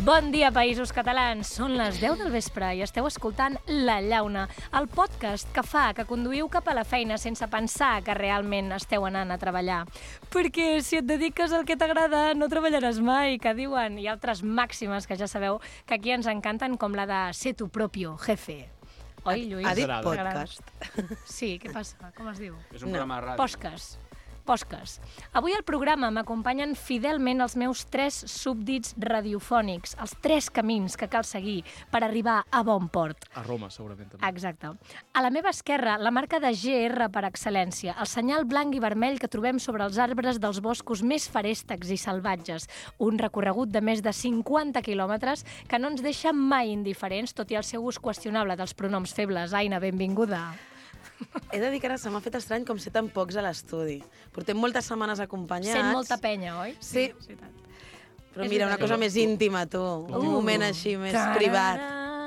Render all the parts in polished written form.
Bon dia, països catalans. Són les 10 del vespre i esteu escoltant La Llauna, el podcast que fa que conduïu cap a la feina sense pensar que realment esteu anant a treballar. Perquè si et dediques al que t'agrada, no treballaràs mai, que diuen. I altres màximes que ja sabeu que aquí ens encanten, com la de ser tu propio jefe. Oi, Lluís? Ha dit podcast. Sí, què passa? Com es diu? És un programa de ràdio. Podcast. Avui al programa m'acompanyen fidelment els meus 3 súbdits radiofònics, els 3 camins que cal seguir per arribar a bon port. A Roma, segurament, també. Exacte. A la meva esquerra, la marca de GR per excel·lència, el senyal blanc i vermell que trobem sobre els arbres dels boscos més feréstecs i salvatges. Un recorregut de més de 50 quilòmetres que no ens deixa mai indiferents, tot i el seu ús qüestionable dels pronoms febles. Aina, benvinguda. He de dir que ara se m'ha fet estrany com ser tan pocs a l'estudi. Portem moltes setmanes acompanyats. Sent molta penya, oi? Sí. Però És mira, una veritat. cosa més íntima, tu. Un moment així, més privat.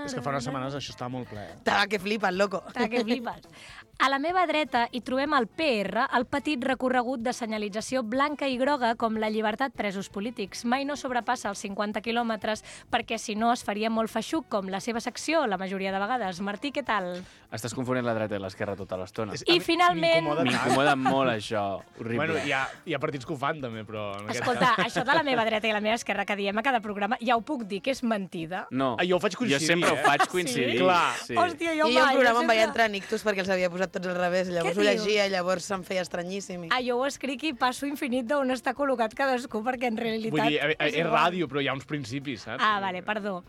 És que fa unes setmanes això estava molt ple. Que flipes, loco. Que flipes. A la meva dreta hi trobem el PR, el petit recorregut de senyalització blanca i groga com la llibertat presos polítics. Mai no sobrepassa els 50 quilòmetres perquè si no es faria molt feixuc com la seva secció la majoria de vegades. Martí, què tal? Estàs confonent la dreta i l'esquerra tota l'estona. I finalment... M'incomoda molt això, horrible. Bueno, hi ha partits que ho fan també, però... En aquest Escolta, cas... això de la meva dreta i la meva esquerra que diem a cada programa, ja ho puc dir que és mentida. No, Jo ho faig coincidir, jo sempre ho faig Sí? coincidir. Clar. Sí. Hòstia, jo I mai. jo al programa em sempre- vaig entrar en ictus perquè els havia posat tots al revés. Llavors Què ho dius? llegia i llavors se'm feia estranyíssim. Jo ho escric i passo infinit d'on està col·locat cadascú, perquè en realitat... Vull dir, és igual. ràdio, però hi ha uns principis, saps? Ah, vale, perdó.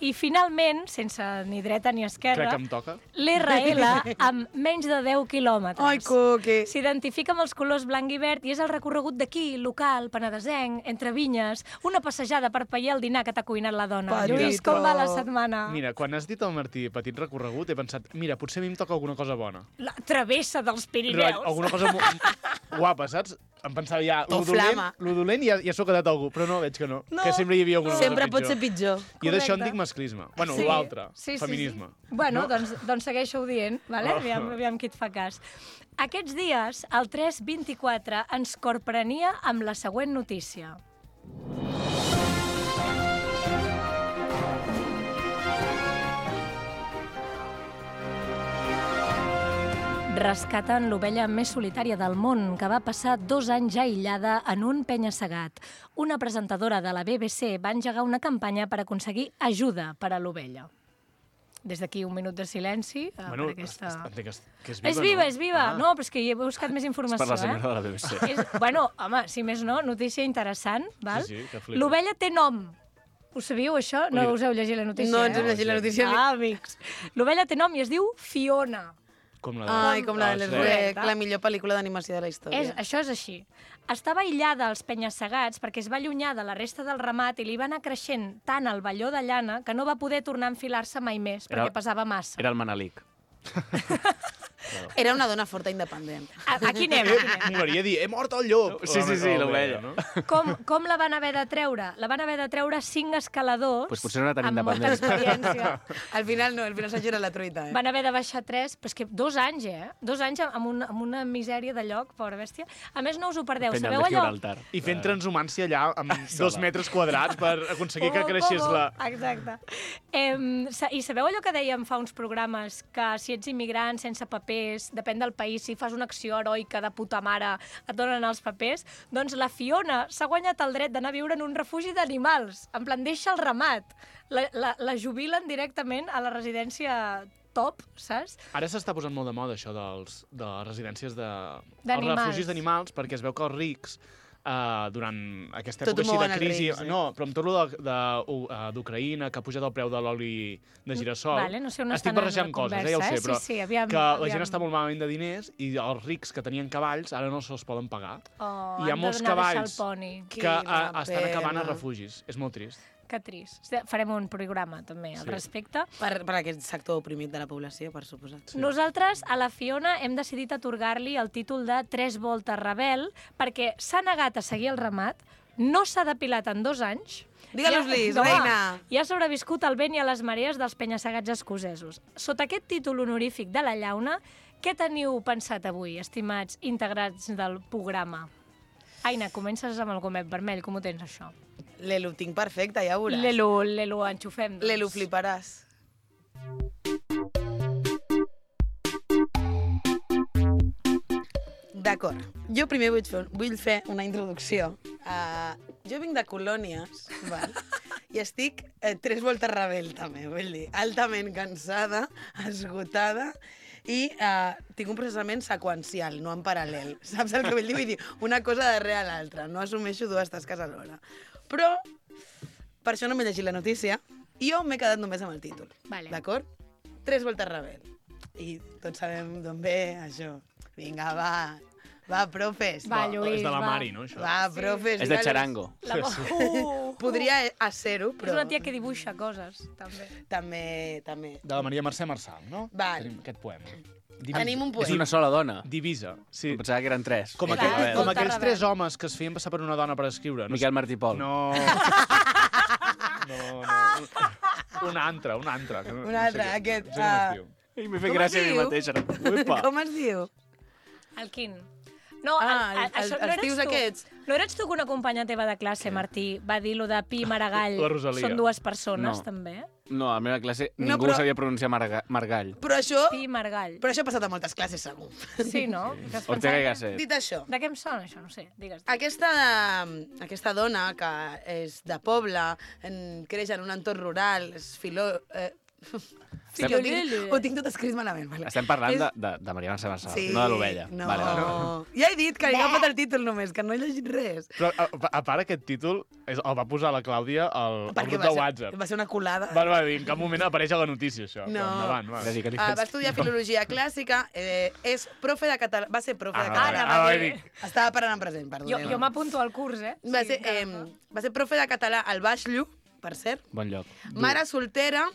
I finalment, sense ni dreta ni esquerra, Crec que em toca. l'RL amb menys de 10 quilòmetres. Ai, coque. S'identifica amb els colors blanc i verd i és el recorregut d'aquí, local, penedesenc, entre vinyes, una passejada per pair el dinar que t'ha cuinat la dona. Petito. Lluís, com va la setmana? Mira, quan has dit al Martí petit recorregut, he pensat, mira, potser a mi em toca alguna cosa bona. La travessa dels Pirineus. Alguna cosa guapa, saps? Em pensava ja, O flama. lo dolent ja s'ho ha quedat algú, però no, veig que no. Que sempre hi havia alguna Sempre cosa pot ser pitjor. Jo d'això en Correcte. dic masclisme. Bueno, Sí, l'altre, sí, feminisme. Sí. Bueno, No? doncs segueixo-ho dient, vale? Aviam qui et fa cas. Aquests dies, el 324 ens corprenia amb la següent notícia. Rescaten l'ovella més solitària del món, que va passar 2 anys aïllada en un penya-segat. Una presentadora de la BBC va engegar una campanya per aconseguir ajuda per a l'ovella. Des d'aquí un minut de silenci Bueno, per aquesta... entenc que és viva, És viva, no? és viva. Ah. No, però és que hi he buscat més informació. per la senyora de la BBC. Bueno, home, si més no, notícia interessant, val? Sí, que flipes. L'ovella té nom. Ho sabíeu, això? No Ui. us heu llegit la notícia, No ens hem eh? llegit la notícia. Ah, amics. L'ovella té nom i es diu Fiona. Com la de... Ai, com la de sí. l'Shrek, la millor pel·lícula d'animació de la història. Això és així. Estava aïllada als penya-segats perquè es va allunyar de la resta del ramat i li va anar creixent tant el velló de llana que no va poder tornar a enfilar-se mai més perquè pesava massa. Era el Manelic. Era una dona forta independent. Aquí anem, aquí anem. M'agradaria dir, he mort el llop! Sí, l'ovella. No? Com la van haver de treure? La van haver de treure 5 escaladors Pues potser no era tan amb molta independent. experiència. Al final no, al final s'ha girat la truita, Van haver de baixar 3, però és que 2 anys, 2 anys amb una misèria de lloc, pobra bèstia. A més, no us ho perdeu. Penyal Sabeu de allò? Gibraltar. I fent transhumància allà amb 2 metres quadrats per aconseguir que creixés la... Exacte. I sabeu allò que dèiem fa uns programes, que si ets immigrant sense papers, depèn del país, si fas una acció heroica de puta mare, et donen els papers? Doncs la Fiona s'ha guanyat el dret d'anar a viure en un refugi d'animals. En plan, deixa el ramat. La jubilen directament a la residència top, saps? Ara s'està posant molt de moda això de les residències els D'animals. refugis d'animals, perquè es veu que els rics durant aquesta Tot època ho així de mouen els crisi... rics, No, però amb tot el d'Ucraïna, que ha pujat el preu de l'oli de girassol... Vale, no sé on estic estan en barrejant la coses, conversa, ja ho sé, eh? però Sí, aviam, que la aviam. gent està molt malament de diners i els rics que tenien cavalls ara no se'ls poden pagar. Oh, I hi ha han molts d'anar a deixar cavalls el poni. que Quina estan acabant a pena. refugis. És molt trist. Que trist. Farem un programa, també, al Sí. respecte. Per aquest sector oprimit de la població, per suposat. Nosaltres, a la Fiona, hem decidit atorgar-li el títol de 3 voltes rebel perquè s'ha negat a seguir el ramat, no s'ha depilat en 2 anys... Digue-los-li, No, reina! I ha sobreviscut al vent i a les marees dels penya-segats escocesos. Sota aquest títol honorífic de la Llauna, què teniu pensat avui, estimats integrats del programa? Aina, comences amb el gomet vermell, com ho tens, això? L'Elu tinc perfecte, ja veuràs. L'Elu enxufem. Doncs. L'Elu fliparàs. D'acord. Jo primer vull fer una introducció. Jo vinc de colònies, val? I estic 3 voltes rebel, també, vull dir, altament cansada, esgotada, i tinc un processament seqüencial, no en paral·lel. Saps el que vull dir? Vull dir, una cosa darrere l'altra, no assumeixo 2 tasques alhora. Però, per això no m'he llegit la notícia, i jo m'he quedat només amb el títol, d'acord? 3 voltes rebel. I tots sabem d'on ve això. Vinga, va, profes. Va, Lluís, és de la Mari, no, això? Va, profes. És de Charango. Podria ser-ho, però... És una tia que dibuixa coses, també. També. De la Maria Mercè Marçal, no? Val. Tenim aquest poema. Tenim un És poema. una sola dona. Divisa, sí. Em pensava que eren 3. Com, Clar, com Volta aquells rebel. 3 homes que es feien passar per una dona per escriure. No Miquel Martí Pol. No. Un altre. Un altre, aquest. No sé com es diu. I m'he fet gràcia a mi mateix. Ara. Uepa. Com es diu? El Quin. No, els tios aquests. No eres tu que una companya teva de classe, Martí, va dir lo de Pi i Maragall? La Rosalia. Són 2 persones, No. també? No, a la meva classe No, ningú però- sabia pronunciar Margall. Però això Pi i Maragall. ha passat a moltes classes, segur. Sí, no? Que es Ortega pensava i que- Gasset. Dit això, De què em sona, això? No sé, digues. aquesta dona que és de poble, creix en un entorn rural, és Sí, ho tinc tot escrit malament. Vale. Estem parlant de Maria Mercè Marçal, no de l'ovella. No. Vale. Ja he dit que li he agafat el títol només, que no he llegit res. Però, a part, aquest títol el va posar la Clàudia al Perquè grup de WhatsApp. va ser una colada. Va dir, en cap moment apareix a la notícia, això. No. Però endavant, va. Dedica-li Va fets. estudiar filologia clàssica, és profe de català... Va ser profe de Ah, català. va dir. Estava parlant en present, perdoneu. Jo m'apunto al curs, eh? Va ser profe de català al Baix Llu, per cert. Bon lloc. Mare soltera,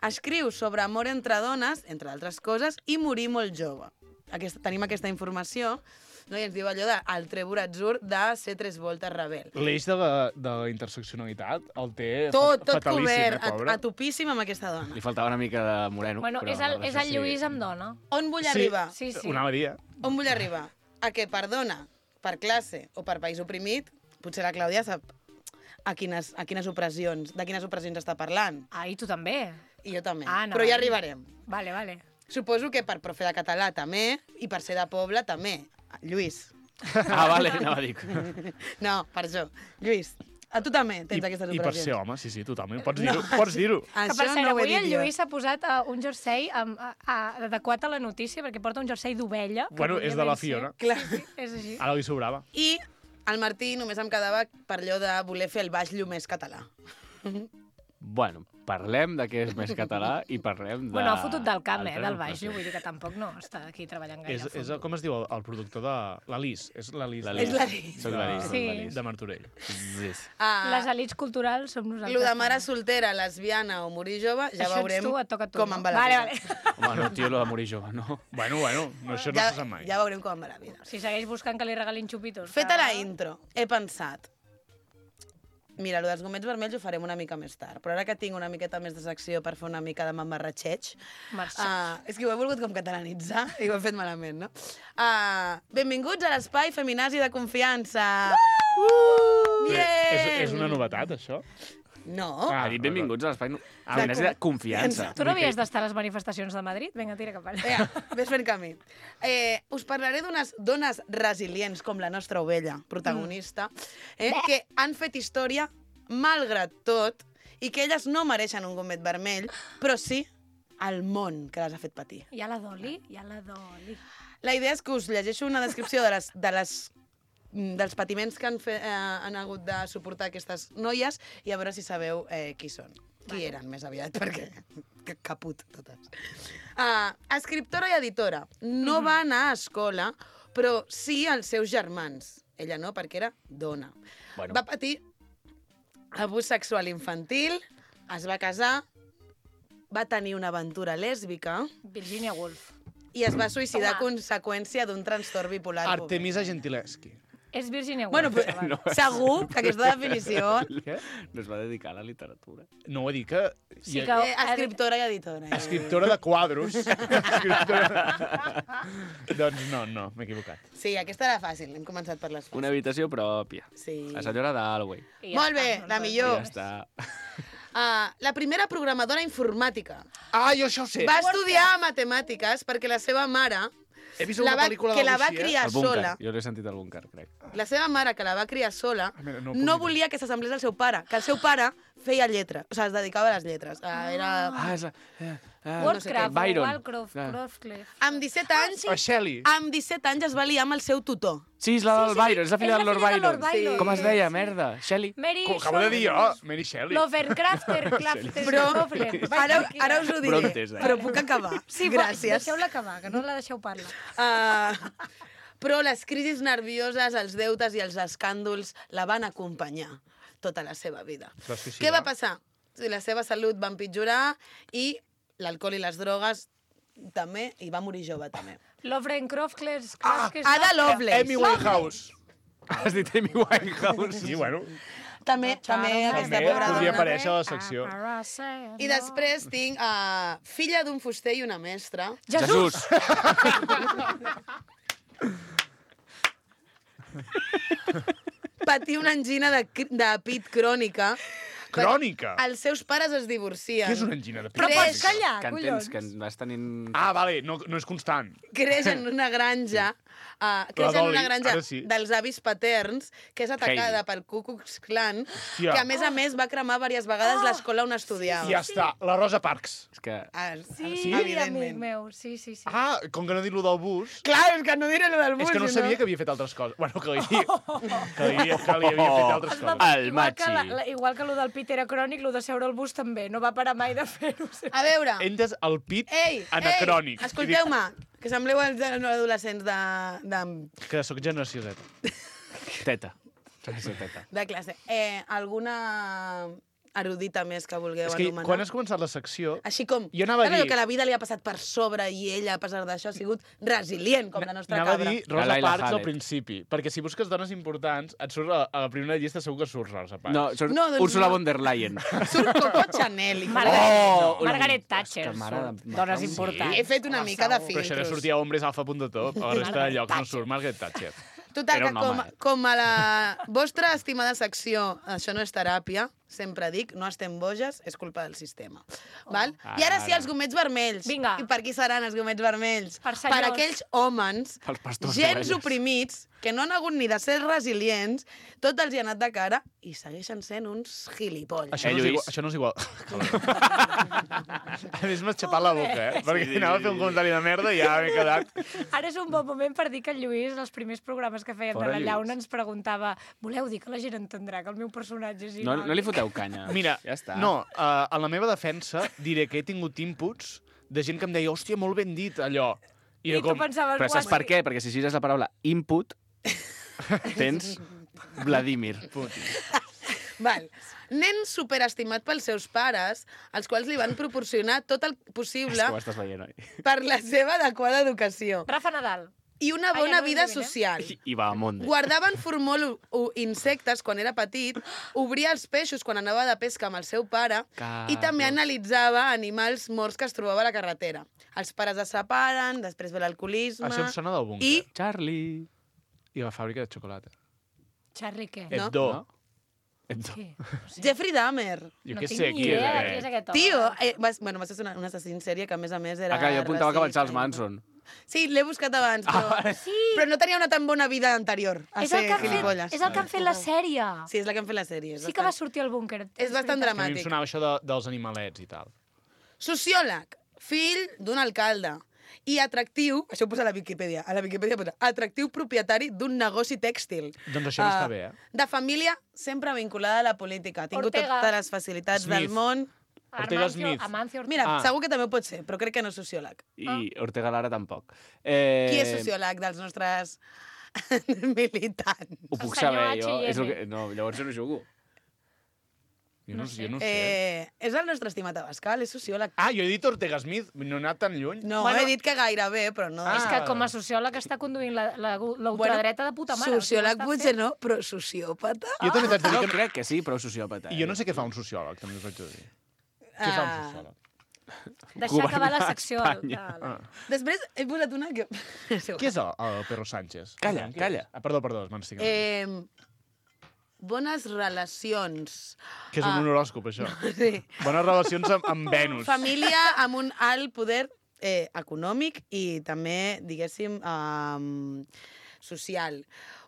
escriu sobre amor entre dones, entre altres coses, i morir molt jove. Tenim aquesta informació, no? I ens diu allò de el trèvol atzur de ser 3 voltes rebel. L'eix de la interseccionalitat el té Tot fatalíssim, cobert, pobre. a topíssim amb aquesta dona. Li faltava una mica de moreno. Bueno, però és el Lluís amb dona. On vull arribar? Sí. Ho anava a dir, On vull arribar? A que per dona, per classe o per país oprimit, potser la Clàudia sap de quines opressions està parlant. Ah, i tu també. I jo també. Ah, no, Però ja arribarem. Vale. Suposo que per profe de català també, i per ser de poble també. Lluís. Ah, vale, anava a dir. No, per això. Lluís, a tu també tens aquestes I per opressions. ser home, sí, totalment. Pots dir-ho. Pots dir-ho. Que per Això cert, no ho he avui el dit jo. Lluís s'ha posat un jersei adequat a la notícia, perquè porta un jersei d'ovella. que Bueno, podria és de la ben ser. Fiona. Clar. És així. Ara li sobrava. I el Martí només em quedava per allò de voler fer el Baix Llu més català. Bueno, parlem de què és més català i parlem de... Bueno, ha fotut del camp, altres del Baix Llu, opressions. vull dir que tampoc no està aquí treballant gaire. És com es diu el productor de l'Alis? És l'Alis. És l'Alis. Soc l'Alis, Sí. soc l'Alis. De Martorell. Zis. Les elites culturals som nosaltres. Lo de mare soltera, lesbiana o morir jove, ja Això ets veurem tu, et toca a tu, com no? em va la Vale. vida. Home, no, tio, lo de morir jove, no. Bueno, no, això no se sap mai. Ja veurem com em va la vida. Si segueix buscant que li regalin xupitos. Feta la intro, he pensat, mira, lo dels gomets vermells ho farem una mica més tard, però ara que tinc una miqueta més de secció per fer una mica de mamarratxeig, és que ho he volgut com catalanitzar i ho he fet malament, no? Benvinguts a l'espai feminazi de confiança! Bien! És una novetat, això? No. Ha dit benvinguts a l'espai de confiança. Tu no havies d'estar a les manifestacions de Madrid? Vinga, tira cap allà. Ves fent camí. Us parlaré d'unes dones resilients com la nostra ovella, protagonista, que han fet història malgrat tot i que elles no mereixen un gomet vermell, però sí el món que les ha fet patir. Hi ha la Doli, La idea és que us llegeixo una descripció dels patiments que han hagut de suportar aquestes noies i a veure si sabeu qui són. Qui eren, més aviat, perquè caput totes. Escriptora i editora. No va anar a escola, però sí als seus germans. Ella no, perquè era dona. Bueno. Va patir abús sexual infantil, es va casar, va tenir una aventura lèsbica Virginia Woolf. i es va suïcidar a conseqüència d'un trastorn bipolar. Artemisa Gentileschi. És Virginia Bueno, Woolf. però, No. segur que aquesta definició... Què? No es va dedicar a la literatura. No ho he dit que... Sí que... Escriptora i editora. Escriptora de quadros. Escriptora... Doncs no, m'he equivocat. Sí, aquesta era fàcil, hem començat per les fàcils. Una habitació pròpia. Sí. La senyora d'Alway. I Molt bé, està, la no millor. Ja està. La primera programadora informàtica. Ah, jo això ho sé. Va estudiar matemàtiques perquè la seva mare, He vist una pel·lícula que de la va Lucia. criar El búnquer. sola, Jo l'he sentit al búnquer, crec. la seva mare, que la va criar sola, mira, no no puc volia que s'assemblés al seu pare, que el seu pare feia lletra, o sigui, es dedicava a les lletres. Era... Ah, és la... Wollcraft, Byron. Wallcroft, Ah. Croftcliffe. Amb 17 anys, A Shelley. amb 17 anys es va liar amb el seu tutor. Sí, és la del Byron, és la filla és del la Lord filla de Lord Byron. Byron. Com es deia, merda? Shelley? Mary Com acabo de dir jo, Mary Shelley. Lovecrafter, Clafter, Però Knopfler. ara us ho diré, Brontes, però puc acabar. Sí, Gràcies. deixeu-la acabar, que no la deixeu parlar. Però les crisis nervioses, els deutes i els escàndols la van acompanyar tota la seva vida. Es va suïcidar. Què va passar? Sí, la seva salut va empitjorar i l'alcohol i les drogues també, i va morir jove també. Lovecraft, Ada Lovelace. Amy Winehouse. Has dit Amy Winehouse? Sí, bueno, També aquesta també pobra podria dona. aparèixer a la secció. I després tinc filla d'un fuster i una mestra. Jesús! Patir una angina de pit crònica. Crònica. Els seus pares es divorcien. Què és una angina de pit? Però Creix. pots callar, Que collons. entens que vas tenint... Ah, vale, no és constant. Creix en una granja, creix en Dolly, una granja ara sí. dels avis paterns, que és atacada Heidi. pel Ku Klux Klan, Hòstia. que a més va cremar diverses vegades l'escola on estudiava. Ja està, la Rosa Parks. És que... Sí, amic meu, sí. Ah, com que no he dit lo del bus... Clar, és que no diré lo del bus, És que no sabia que havia fet altres coses. Bueno, que li havia fet altres coses. El Igual que, Machi. igual que lo del pit era crònic, lo de seure al bus també. No va parar mai de fer-ho. A veure, He entès el pit ei, anacrònic. escolteu-me, que sembleu els adolescents Que sóc generació Z. Teta. Teta. de classe. Alguna erudita més que vulgueu És que anomenar? quan has començat la secció... Així com, Jo anava a saps allò dir- que la vida li ha passat per sobre i ella, a pesar d'això, ha sigut resilient, com la nostra Anava a cabra. dir Rosa La Laila Parks al Hallet. principi, perquè si busques dones importants, et surt a la primera llista segur que surt Rosa Parks. No, surt No, doncs Úrsula no. von der Leyen. Surt Coco Chanel. Margaret, una Margaret mica. Thatcher. És que mare de- són dones Sí. importants. He fet una mica de Però això no filtros. sortia hombresalfa.top, a la resta de llocs no surt Margaret Thatcher. Total, Era que un home, com a la vostra estimada secció, això no és teràpia, sempre dic, no estem boges, és culpa del sistema. Val? I ara sí, els gomets vermells. Vinga. I per qui seran els gomets vermells? Per senyors. aquells homes, Pels pastors gens d'ovelles. oprimits, que no han hagut ni de ser resilients, tot els hi ha anat de cara i segueixen sent uns gilipolles. Això, no és Lluís. igual, això no és igual. A més, m'has xapat la boca, perquè anava a fer un comentari de merda i ja m'he quedat... Ara és un bon moment per dir que el Lluís, els primers programes que feien Fora de la Lluís. llauna, ens preguntava voleu dir que la gent entendrà que el meu personatge és No, igual? no li foteu canya. Mira, ja està. no, en la meva defensa diré que he tingut inputs de gent que em deia, hòstia, molt ben dit, allò. I tu pensaves, Però saps per què? Perquè si gires la paraula input, tens Vladimir Putin. Val. Nen superestimat pels seus pares, als quals li van proporcionar tot el És possible que ho estàs veient, oi? per la seva adequada educació Rafa Nadal. i una Ai, bona ja no vida endevina. social. I va a Monde. Guardaven formol o insectes quan era petit, obria els peixos quan anava de pesca amb el seu pare i també analitzava animals morts que es trobava a la carretera. Els pares es separen, després ve l'alcoholisme... Això em sona del búnquer. I Charlie. I la fàbrica de xocolata. Charlie, què? No. Hebdo. No? Què? No sé. Jeffrey Dahmer. Jo No què tinc sé, ni qui és idea de aquest? qui és aquest home. Tio, va ser un assassí en sèrie que, a més era... Ah, clar, jo apuntava que va racista Charles i- Manson. Sí, l'he buscat abans, però... Sí, Però no tenia una tan bona vida anterior a és el, ser que han fet, gilipolles. és el que han fet la sèrie. Sí, és la que han fet la sèrie. Sí que va sortir al búnquer. És bastant Que a mi em dramàtic. sonava això dels animalets i tal. Sociòleg, fill d'un alcalde i atractiu, això ho posa a la Viquipèdia posa atractiu propietari d'un negoci tèxtil. Doncs això no està bé, eh? De família sempre vinculada a la política. Ha tingut Ortega. totes les facilitats Smith. del món. Ortega Smith. Amancio Ortega. Mira, Ah. segur que també pot ser, però crec que no és sociòleg. I Ortega Lara tampoc. Qui és sociòleg dels nostres militants? Ho puc El senyor saber, jo. H&M. És el que... No, llavors jo no jugo. Jo no sé. És el nostre estimat Abascal, és sociòleg. Ah, jo he dit Ortega Smith, no he anat tan lluny. No, he dit que gairebé, però no. És que com a sociòleg està conduint l'ultradreta de puta mare. Sociòleg potser no, però sociòpata? Jo també t'haig de dir Jo que... crec que sí, però sociòpata. I jo no sé què fa un sociòleg, també us haig de dir. Què fa un sociòleg? Deixar acabar la secció. Després he posat una que... Què és el Perro Sánchez? Calla, calla. Ah, perdó, m'estic... Bones relacions. Que és un horòscop, això. Sí. Bones relacions amb Venus. Família amb un alt poder econòmic i també, diguéssim, social.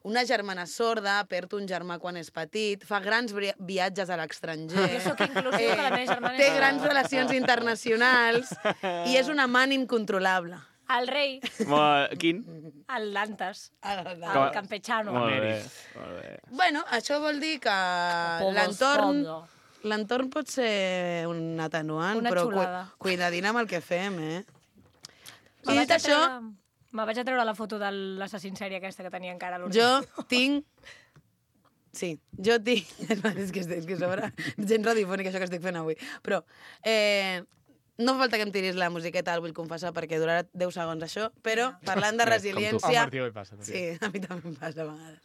Una germana sorda, perd un germà quan és petit, fa grans viatges a l'estranger. Jo sóc inclusiu, que la meva germana té és... grans relacions internacionals i és un amant incontrolable. El rei, Quin? el Dantes, el Com- campechano. Molt bé. Emèrit. Molt bé. Bueno, això vol dir que l'entorn pot ser un atenuant, Una però xulada. cuidadina amb el que fem, I Me dit això, vaig a treure la foto de l'assassin sèrie aquesta que tenia encara a l'ordre. jo tinc... Sí, jo tinc... és que sobre gent radiofònica això que estic fent avui. Però no fa falta que em tiris la musiqueta, el vull confessar, perquè durarà 10 segons això, però parlant de Al resiliència... Martí ho passa, també. Sí, a mi també em passa a vegades.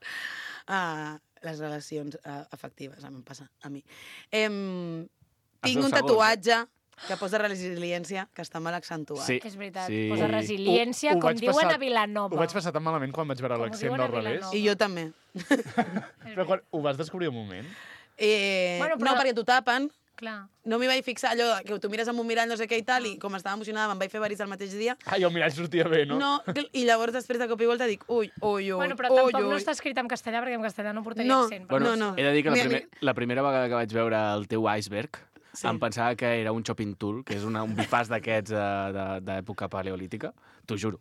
Les relacions afectives, em passa a mi. Tinc un tatuatge que posa resiliència, que està mal accentuat. Sí. És veritat, Sí. posa resiliència, Ho com vaig diuen passar- a Vilanova. Ho vaig passar tan malament quan vaig veure Com ho l'accent diuen a del revés. Vilanova. I jo també. Però quan ho vas descobrir un moment? Bueno, però- No, perquè t'ho tapen. Clar. No m'hi vaig fixar, allò que tu mires amb un mirall no sé què i tal, i com estava emocionada me'n vaig fer varis el mateix dia. Ai, el mirall sortia bé, no? No, i llavors després de cop i volta dic, ui, Bueno, però tampoc no està escrit en castellà, perquè en castellà no portaria No. accent. Bueno, No. he de dir que Mira, la primera vegada que vaig veure el teu iceberg em pensava que era un chopping tool, que és un bifàs d'aquests d'època paleolítica. T'ho juro.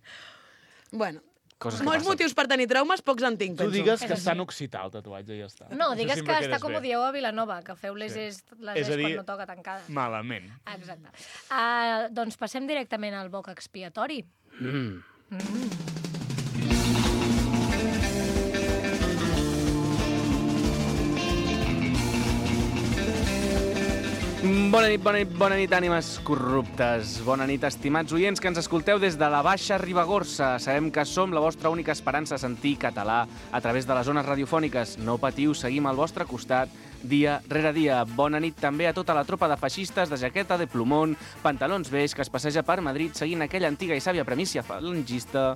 Bueno, Coses que molts passen. motius per tenir traumes, pocs en tinc, Tu penso. digues És que així. està en occità el tatuatge i ja està. No, Això digues sempre que està quedes com bé. ho dieu a Vilanova, que feu les Sí. és És a dir- quan no toca tancada. Malament. Exacte. Doncs passem directament al boc expiatori. Bona nit, ànimes corruptes. Bona nit, estimats oients que ens escolteu des de la Baixa Ribagorça. Sabem que som la vostra única esperança a sentir català a través de les zones radiofòniques. No patiu, seguim al vostre costat dia rere dia. Bona nit també a tota la tropa de feixistes de jaqueta de plomón, pantalons beix que es passeja per Madrid seguint aquella antiga i sàvia premissa falangista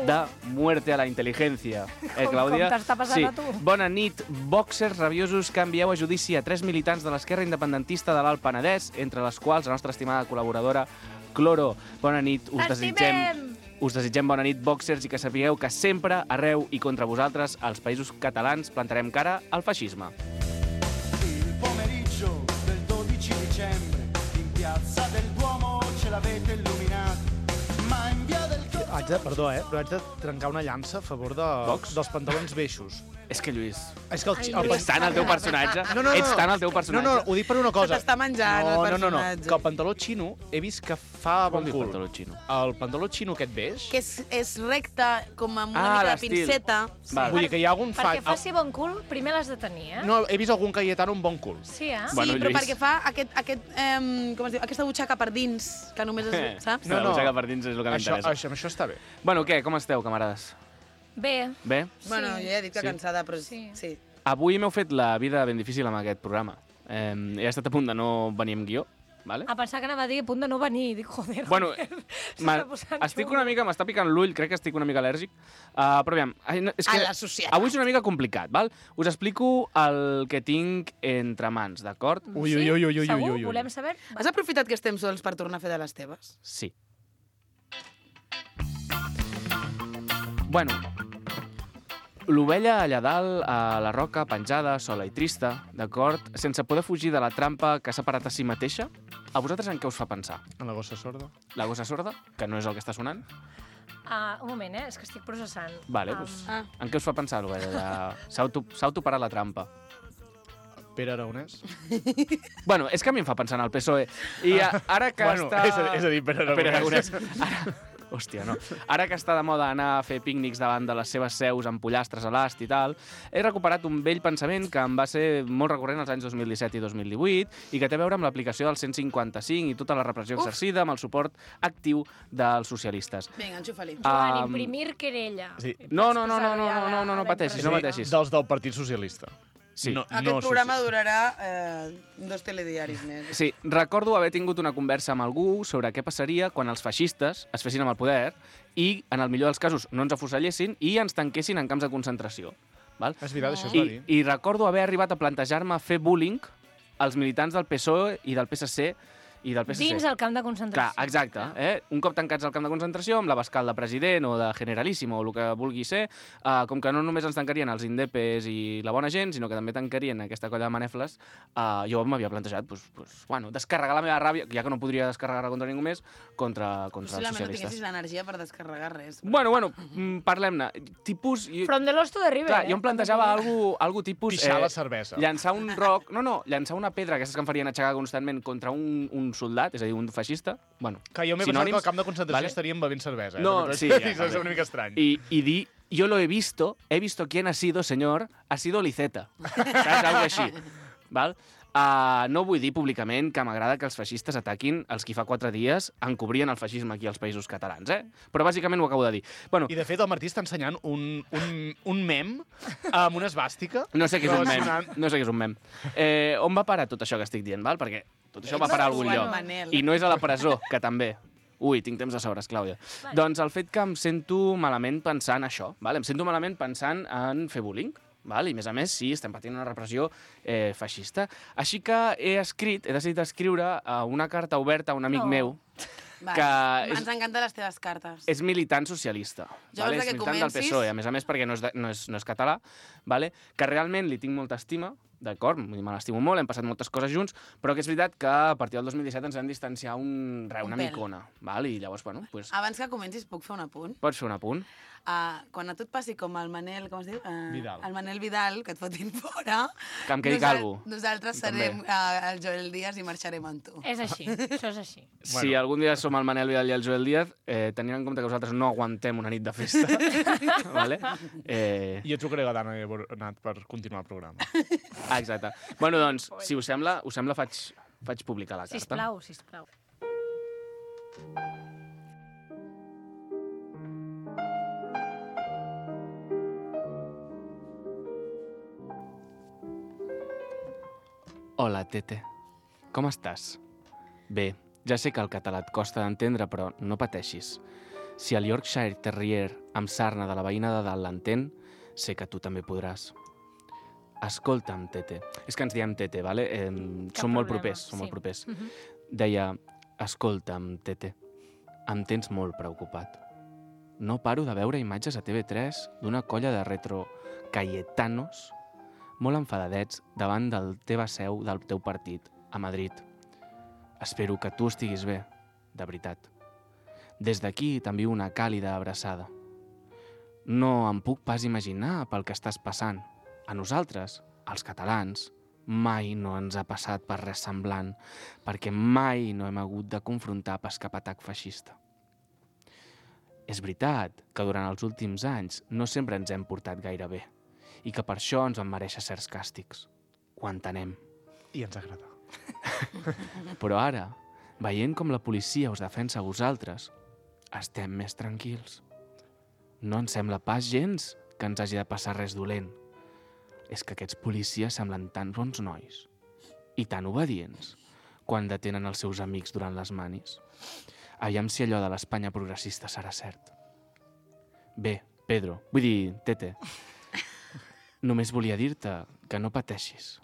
de muerte a la intel·ligència. Com t'està passant a tu? Bona nit, boxers rabiosos que envieu a judici a 3 militants de l'esquerra independentista de l'Alt Penedès, entre les quals la nostra estimada col·laboradora Cloro. Bona nit, us desitgem bona nit, boxers, i que sapigueu que sempre, arreu i contra vosaltres, als països catalans, plantarem cara al feixisme. Il pomeriggio del 12 dicembre in piazza del Duomo ce l'avete illuminato, ma in via del Perdó, però haig de trencar una llança a favor dels pantalons beixos. És que, Lluís, És que ets tant el teu personatge. Ets tant el teu personatge. No, ho dic per una cosa. Se t'està menjant el personatge. Que el pantaló xino he vist que fa bon Vol dir cul. pantaló xino? El pantaló xino aquest beix, Que és recte, com amb una Ah, mica de l'estil. pinceta. Val. vull dir que hi ha algun Perquè faci bon cul, primer l'has de tenir, eh? No, he vist algun Cayetano amb bon cul. Sí, eh? Sí, Bueno, però Lluís. perquè fa com es diu, aquesta butxaca per dins, que només es, saps? No, la butxaca per dins és el que m'interessa. Això està bé. Bueno, què? Com esteu, camarades? Bé, Bé? Bueno, jo ja he dit que Sí. cansada, però Sí. sí. Avui m'heu fet la vida ben difícil amb aquest programa. He estat a punt de no venir amb guió, vale? a pensar que anava a dir a punt de no venir. Dic, joder, Bueno, s'està posant estic xungo. una mica, m'està picant l'ull, crec que estic una mica al·lèrgic. Però aviam, és que A la societat. avui és una mica complicat, val? Us explico el que tinc entre mans, d'acord? Ui, Sí? ui, ui, ui, ui, Segur? ui, ui. Volem saber? Has aprofitat que estem sols per tornar a fer de les teves? Sí. Bueno, l'ovella allà dalt, a la roca, penjada, sola i trista, d'acord? Sense poder fugir de la trampa que s'ha parat a si mateixa, a vosaltres en què us fa pensar? En la gossa sorda? La gossa sorda, que no és el que està sonant? Un moment, és que estic processant. Vale, doncs, Ah. en què us fa pensar l'ovella? S'ha autoparat la trampa. Pere Aragonès? Bueno, és que a mi em fa pensar en el PSOE. I ara que Bueno, està... és a dir, Pere Aragonès. Pere Aragonès. Ara, Hòstia, no. Ara que està de moda anar a fer pícnics davant de les seves seus amb pollastres a l'ast i tal, he recuperat un vell pensament que em va ser molt recurrent als anys 2017 i 2018 i que té a veure amb l'aplicació del 155 i tota la repressió exercida amb el suport actiu dels socialistes. Vinga, enxufa-li. Joan, imprimir querella. Sí. No pateixis, no pateixis. Dels del Partit Socialista. Sí. Aquest programa durarà 2 telediaris més. Sí, recordo haver tingut una conversa amb algú sobre què passaria quan els feixistes es fessin amb el poder i, en el millor dels casos, no ens afusellessin i ens tanquessin en camps de concentració. Val? És veritat, això es va dir. I recordo haver arribat a plantejar-me fer bullying als militants del PSOE i del PSC i del PSC. Dins el camp de concentració. Clar, exacte. Un cop tancats al camp de concentració, amb l'abascal de president o de generalíssimo o el que vulgui ser, com que no només ens tancarien els indepes i la bona gent, sinó que també tancarien aquesta colla de manefles, jo m'havia plantejat descarregar la meva ràbia, ja que no podria descarregar-la contra ningú més, contra els Possiblement no socialistes. tinguessis l'energia per descarregar res. Bueno, parlem-ne. Tipus... From the Lost to the River. Clar, jo em plantejava algo tipus... Pixar la cervesa. Llançar un roc... No, llançar una pedra, aquestes que em farien aixecar constantment contra un soldat, és a dir, un feixista. Bueno, Que jo m'he pensat que al camp de concentració estaríem bevent cervesa. No, sí, ja, és una mica estrany. Y di, yo lo he visto quién ha sido, señor, ha sido Liceta. Saps? Algo així. Val? No vull dir públicament que m'agrada que els feixistes ataquin els qui fa 4 dies encobrien el feixisme aquí als països catalans, Però bàsicament ho acabo de dir. Bueno, I de fet el Martí està ensenyant un mem amb una esvàstica. no sé què és un mem. No sé què és un mem. On va parar tot això que estic dient, val? Perquè tot això va parar a algun lloc. I no és a la presó, que també. Ui, tinc temps de sobres, Clàudia. Doncs el fet que em sento malament pensant això, val? Em sento malament pensant en fer bullying, val? I, a més, sí, estem patint una repressió feixista. Així que he decidit escriure una carta oberta a un amic meu, que ens encanten les teves cartes. és militant socialista. Jo Vale? abans És que militant del comencis- PSOE, a més, perquè no és català, vale? Que realment li tinc molta estima, d'acord? Me l'estimo molt, hem passat moltes coses junts, però que és veritat que a partir del 2017 ens vam distanciar una pèl. micona, val? I llavors, bueno, pues, Abans que comencis, puc fer un apunt? pots fer un apunt. Quan a tu et passi com el Manel, com es diu? Vidal. El Manel Vidal, que et fotin fora. Que em quedi calvo. Nosaltres També. serem el Joel Díaz i marxarem amb tu. És així, això és així. Si algun dia som el Manel Vidal i el Joel Díaz, tenint en compte que vosaltres no aguantem una nit de festa, vale? Jo trucaré a la Dana Bonat per continuar el programa. Exacte. Bueno, doncs, si us sembla faig publicar la carta. Sisplau. Hola, Tete. Com estàs? Bé, ja sé que el català et costa d'entendre, però no pateixis. Si el Yorkshire Terrier amb sarna de la veïna de dalt l'entén, sé que tu també podràs. Escolta'm, Tete. És que ens diem Tete, vale? Som molt propers. Deia, escolta'm, Tete, em tens molt preocupat. No paro de veure imatges a TV3 d'una colla de retro cayetanos molt enfadadets davant del teva seu del teu partit, a Madrid. Espero que tu estiguis bé, de veritat. Des d'aquí t'envio una càlida abraçada. No em puc pas imaginar pel que estàs passant. A nosaltres, els catalans, mai no ens ha passat per res semblant, perquè mai no hem hagut de confrontar pas cap atac feixista. És veritat que durant els últims anys no sempre ens hem portat gaire bé i que per això ens van mereixer certs càstigs. Ho entenem. I ens agrada. Però ara, veient com la policia us defensa a vosaltres, estem més tranquils. No ens sembla pas gens que ens hagi de passar res dolent. És que aquests policies semblen tan bons nois i tan obedients quan detenen els seus amics durant les manis. Aviam si allò de l'Espanya progressista serà cert. Bé, Pedro, vull dir, Tete, només volia dir-te que no pateixis,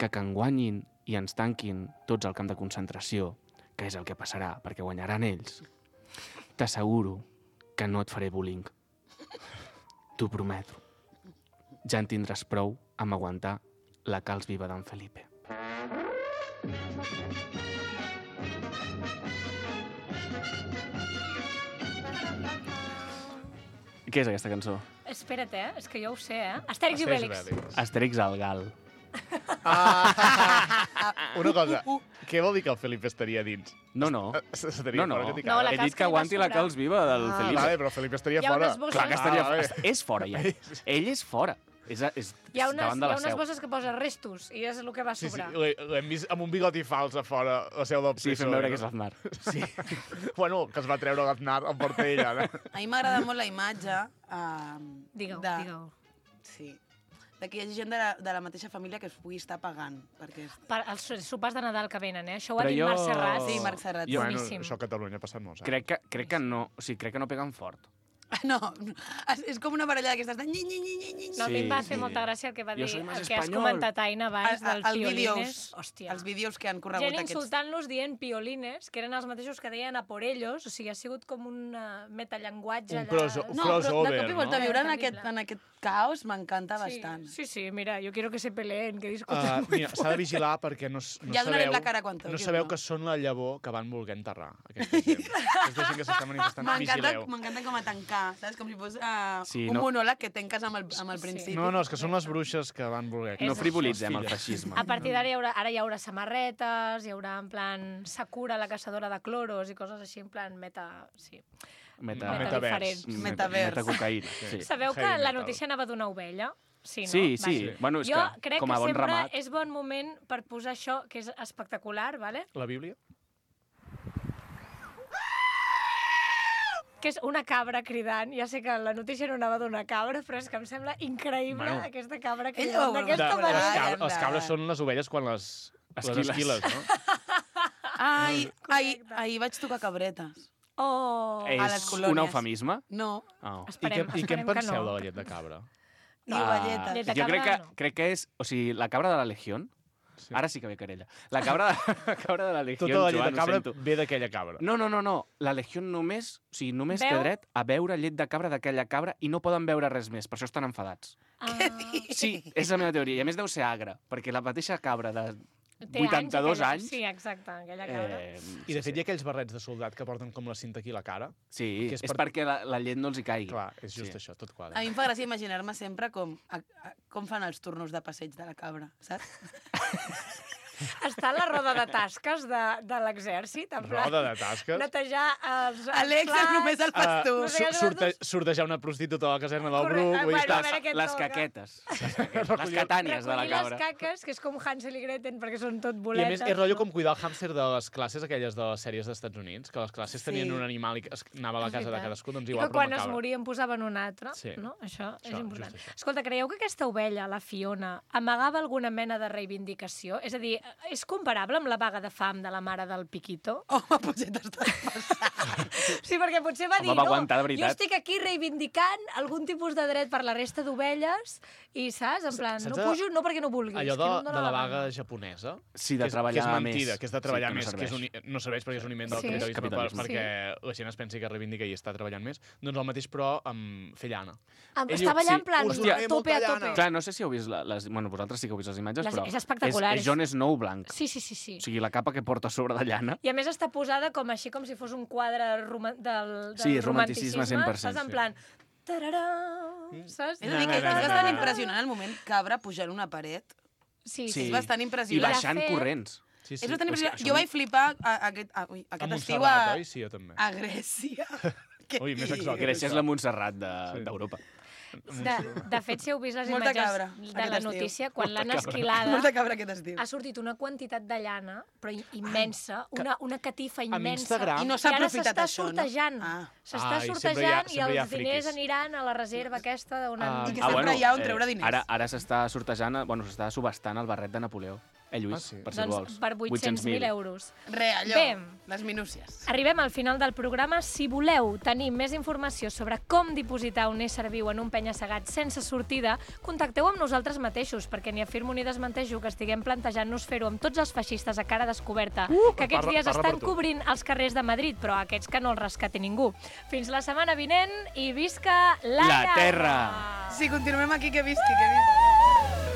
que en guanyin i ens tanquin tots al camp de concentració, que és el que passarà, perquè guanyaran ells. T'asseguro que no et faré bullying. T'ho prometo. Ja en tindràs prou amb aguantar la calç viva d'en Felipe. Què és aquesta cançó? Espera't, és que jo ho sé, Astèrix i Obèlix. Astèrix al Gal. Una cosa, Què vol dir que el Felipe estaria dins? No. Estaria No. fora que t'hi No, la caga. He dit que aguanti la Cals viva del Felipe. Vale, però Felipe estaria Hi ha fora. unes bosses. Clar que estaria vale. fora. És fora, ja. Ell és fora. És Hi ha davant de la unes seu. bosses que posa restos, i és el que va Sí, sobrar. l'hem vist amb un bigoti fals a fora, la seu del Sí, PSOE. fem veure que és l'Aznar. Sí. Bueno, que es va treure l'Aznar, el porta ell ara. A mi m'agrada molt la imatge... Digueu. Sí. Que hi hagi gent de la mateixa família que es pugui estar pagant. Perquè Els sopars de Nadal que venen, Això ho ha Però dit jo- Marc Serrat. Sí, Marc Serrat. Bueno, Boníssim. això a Catalunya ha passat molts anys. Crec que no, o sigui, crec que no peguen fort. No, és com una baralla d'aquestes de nyi. No, a mi em va Sí, fer sí. molta gràcia el que va Jo dir, soy más el que has espanyol. comentat, Aina, abans, del piolines. Hòstia. Els vídeos que han corregut Gent aquests... insultant-los dient piolines, que eren els mateixos que deien a por ellos, o sigui, ha sigut com un metallenguatge Un allà. crossover, No, però de crossover, cop i volta no? viure Terrible. en aquest caos m'encanta bastant. Sí, mira, jo quiero que se peleen, que discutan. Mira, s'ha de vigilar perquè no Ja donarem sabeu, la cara quan toqui, no sabeu no? que són la llavor que van voler enterrar, aquesta gent. Aquesta gent que s'està manifestant, vigileu. M'encanta com a tancar, saps? Com si fos Sí, un no. monòleg que tanques amb el principi. No, és que són les bruixes que van voler. És No això. frivolitzem el Filles. feixisme. A partir d'ara ara hi haurà samarretes, hi haurà en plan Sakura, la caçadora de cloros i coses així, en plan sí. Metavers. Metavers. Metacocaïna. Sí. Sabeu que Heavy la metal. notícia anava d'una ovella? Sí, no? Sí. Vale. Bueno, és Jo que, crec com a que bon sempre ramat... és bon moment per posar això, que és espectacular, ¿vale? La Bíblia? Que és una cabra cridant. Ja sé que la notícia no anava d'una cabra, però és que em sembla increïble Bueno. aquesta cabra Ella cridant ho d'aquesta veurà. manera. Les cabres són les ovelles quan les esquiles, no? Ahir vaig tocar cabretes. Oh! a les És colònies. un eufemisme? No, Oh. I Esperem, què en esperem que penseu no. de la llet de cabra? i ovelletes. llet de Jo cabra, no. crec que és... O sigui, la cabra de la Legión... Sí. Ara sí que ve querella. La cabra de la Legión, Tota la llet Joan, de ho cabra sento. ve d'aquella cabra. No. La Legión només té Veu? dret a beure llet de cabra d'aquella cabra i no poden beure res més, per això estan enfadats. Sí, és la meva teoria. I a més deu ser agra, perquè la mateixa cabra de Té 82 aquella- anys... Sí, exacte, aquella cabra. I de fet hi ha aquells barrets de soldat que porten com la cinta aquí a la cara. Sí, que és, és perquè la llet no els hi caigui. Clar, és just Sí. això, tot quadra. A mi em fa gràcia imaginar-me sempre com fan els turnos de passeig de la cabra, saps? Està a la roda de tasques de l'exèrcit, en plan... Roda de tasques. Netejar els Alexa, plats. només el fas tu. No sé què Sortejar una prostituta a la caserna del Correcte, Bruc. Vull dir, bueno, a estàs... veure què Les toca. caquetes. Les catànies de la Recollir cabra. les caques, que és com Hansel i Gretel, perquè són tot I a boletes. més, és rotllo com cuidar el hàmster de les classes aquelles de les sèries dels Estats Units, que les classes tenien Sí. un animal i anava a la És casa de veritat. cadascú, doncs I igual, que però quan amb es cabra. moria en posaven un altre, Sí. no? Això és Això, important. just això. Escolta, creieu que aquesta ovella, la Fiona, amagava alguna mena de reivindicació? És a dir, és comparable amb la vaga de fam de la mare del Piquito? Home, potser t'estàs passant. Sí, perquè potser va Home, dir, va no, aguantar, de jo veritat. estic aquí reivindicant algun tipus de dret per la resta d'ovelles i, saps, en plan, Saps no pujo no perquè no vulguis. Allò que no em de dóna la gana. vaga japonesa, Sí, de que és treballar mentida, més. que és de treballar Sí, que no més, que és serveix. no serveix perquè és un invent del Sí. capitalisme, Capitalisme. perquè la gent es pensi que reivindica i està treballant més. Doncs el mateix, però amb fer llana. Ell Està diu, ballant en sí, plan, us a donaré tope, a molta tope. llana. Clar, no sé si heu vist bueno, vosaltres sí que heu vist les imatges, però És espectacular. és Jon Snow blanc. Sí. O sigui, la capa que porta a sobre de llana. I a més està posada com així, com si fos un quadre del Sí, romanticisme 100%, Saps? En sí. plan... Tararà, saps? És a dir, que és bastant impressionant el moment cabra pujant una paret. Sí, Sí. És bastant I impressionant. baixant De fet- corrents. Sí, És bastant impressionant. això Jo no- vaig flipar aquest A estiu Montserrat, oi? Sí, jo també. a Grècia. Què Ui, més dius? exòtic. Grècia és la Montserrat d'Europa. De fet, si heu vist les Molta imatges cabra, de aquest la estiu. notícia, quan l'han esquilada, Molta cabra aquest estiu. ha sortit una quantitat de llana, però immensa, una catifa immensa. Instagram- I no s'ha I ara aprofitat s'està això, no? sortejant. Ah. S'està Ai, sortejant i sempre hi ha els diners friquis. aniran a la reserva aquesta d'una... I que sempre hi ha on treure diners. Ara s'està sortejant, bueno, s'està subestant el barret de Napoleó. Lluís, Ah, sí? per si el vols. Doncs per 800.000 euros. Re, allò, Bé. les minúcies. Arribem al final del programa. Si voleu tenir més informació sobre com dipositar un ésser viu en un penya-segat sense sortida, contacteu amb nosaltres mateixos, perquè ni afirmo ni desmenteixo que estiguem plantejant-nos fer-ho amb tots els feixistes a cara descoberta, que aquests parla- dies parla estan per tu. cobrint els carrers de Madrid, però aquests que no els rescati ningú. Fins la setmana vinent i visca la La terra! llauna! Sí, continuem aquí, que visqui, que visqui.